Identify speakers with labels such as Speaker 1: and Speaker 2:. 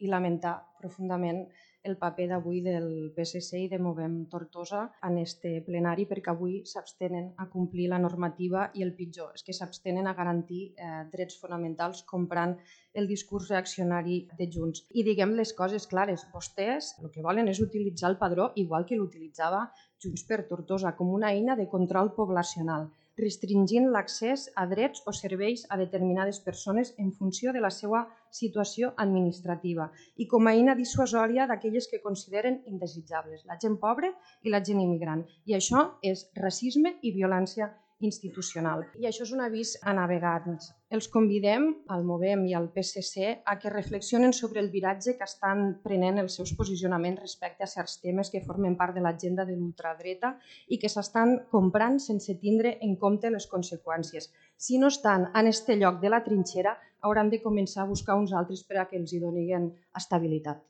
Speaker 1: i lamentar profundament el paper d'avui del PSC i de Movem Tortosa en este plenari, perquè avui s'abstenen a complir la normativa i el pitjor és que s'abstenen a garantir drets fonamentals comprant el discurs reaccionari de Junts. I diguem les coses clares, vostès el que volen és utilitzar el padró igual que l'utilitzava Junts per Tortosa, com una eina de control poblacional, restringint l'accés a drets o serveis a determinades persones en funció de la seva situació administrativa i com a eina dissuasòria d'aquelles que consideren indesitjables, la gent pobra i la gent immigrant. I això és racisme i violència institucional. I això és un avís a navegants. Els convidem, al Movem i al PSC, a que reflexionen sobre el viratge que estan prenent els seus posicionaments respecte a certs temes que formen part de l'agenda de l'ultradreta i que s'estan comprant sense tindre en compte les conseqüències. Si no estan en este lloc de la trinxera, hauran de començar a buscar uns altres per a que els hi donin estabilitat.